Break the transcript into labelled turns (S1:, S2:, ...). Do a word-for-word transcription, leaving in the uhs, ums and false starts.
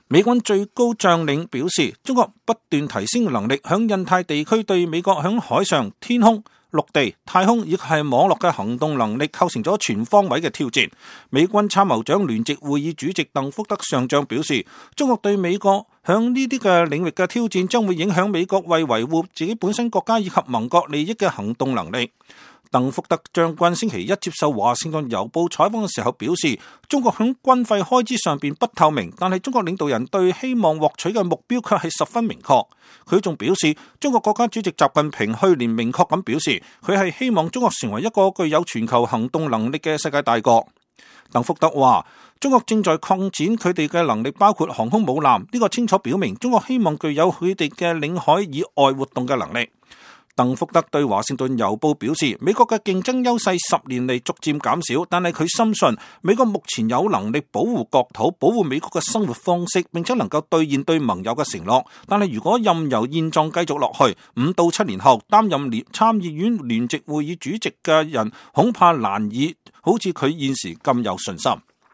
S1: 美軍最高將領表示，中國不斷提升能力，響印太地區對美國響海上、天空、陸地、太空以及係網絡嘅行動能力構成咗全方位嘅挑戰。美軍參謀長聯席會議主席鄧福德上將表示，中國對美國響呢啲嘅領域嘅挑戰將會影響美國為維護自己本身國家以及盟國利益嘅行動能力。鄧福德將軍星期一接受華盛頓郵報採訪嘅時候表示，中國響軍費開支上邊不透明，但係中國領導人對希望獲取嘅目標卻係十分明確。佢仲表示，中國國家主席習近平去年明確咁表示，佢係希望中國成為一個具有全球行動能力嘅世界大國。鄧福德話，中國正在擴展佢哋嘅能力，包括航空母艦，呢個清楚表明中國希望具有佢哋嘅領海以外活動嘅能力。鄧福德對華盛頓郵報表示，美國嘅競爭優勢十年嚟逐漸減少，但係佢深信美國目前有能力保護國土，保護美國嘅生活方式，並且能夠兌現對盟友嘅承諾。但係如果任由現狀繼續落去，五到七年後擔任聯參議院聯席會議主席嘅人恐怕難以好似佢現時咁有信心。